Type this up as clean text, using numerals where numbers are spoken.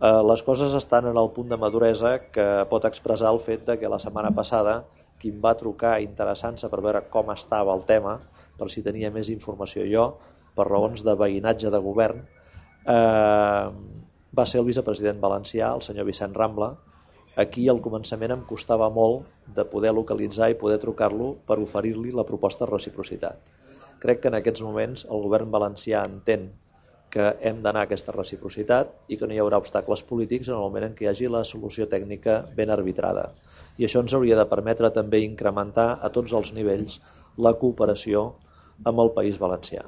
Les coses estan en el punt de maduresa que pot expressar el fet de que la setmana passada qui em va trucar interessant-se per veure com estava el tema, per si tenia més informació jo, per raons de veïnatge de govern, va ser el vicepresident valencià, el senyor Vicent Rambla. Aquí al començament em costava molt de poder localitzar i poder trucar-lo per oferir-li la proposta de reciprocitat. Crec que en aquests moments el govern valencià entén que hem d'anar a aquesta reciprocitat i que no hi haurà obstacles polítics en el moment en què hi hagi la solució tècnica ben arbitrada. I això ens hauria de permetre també incrementar a tots els nivells la cooperació amb el País Valencià.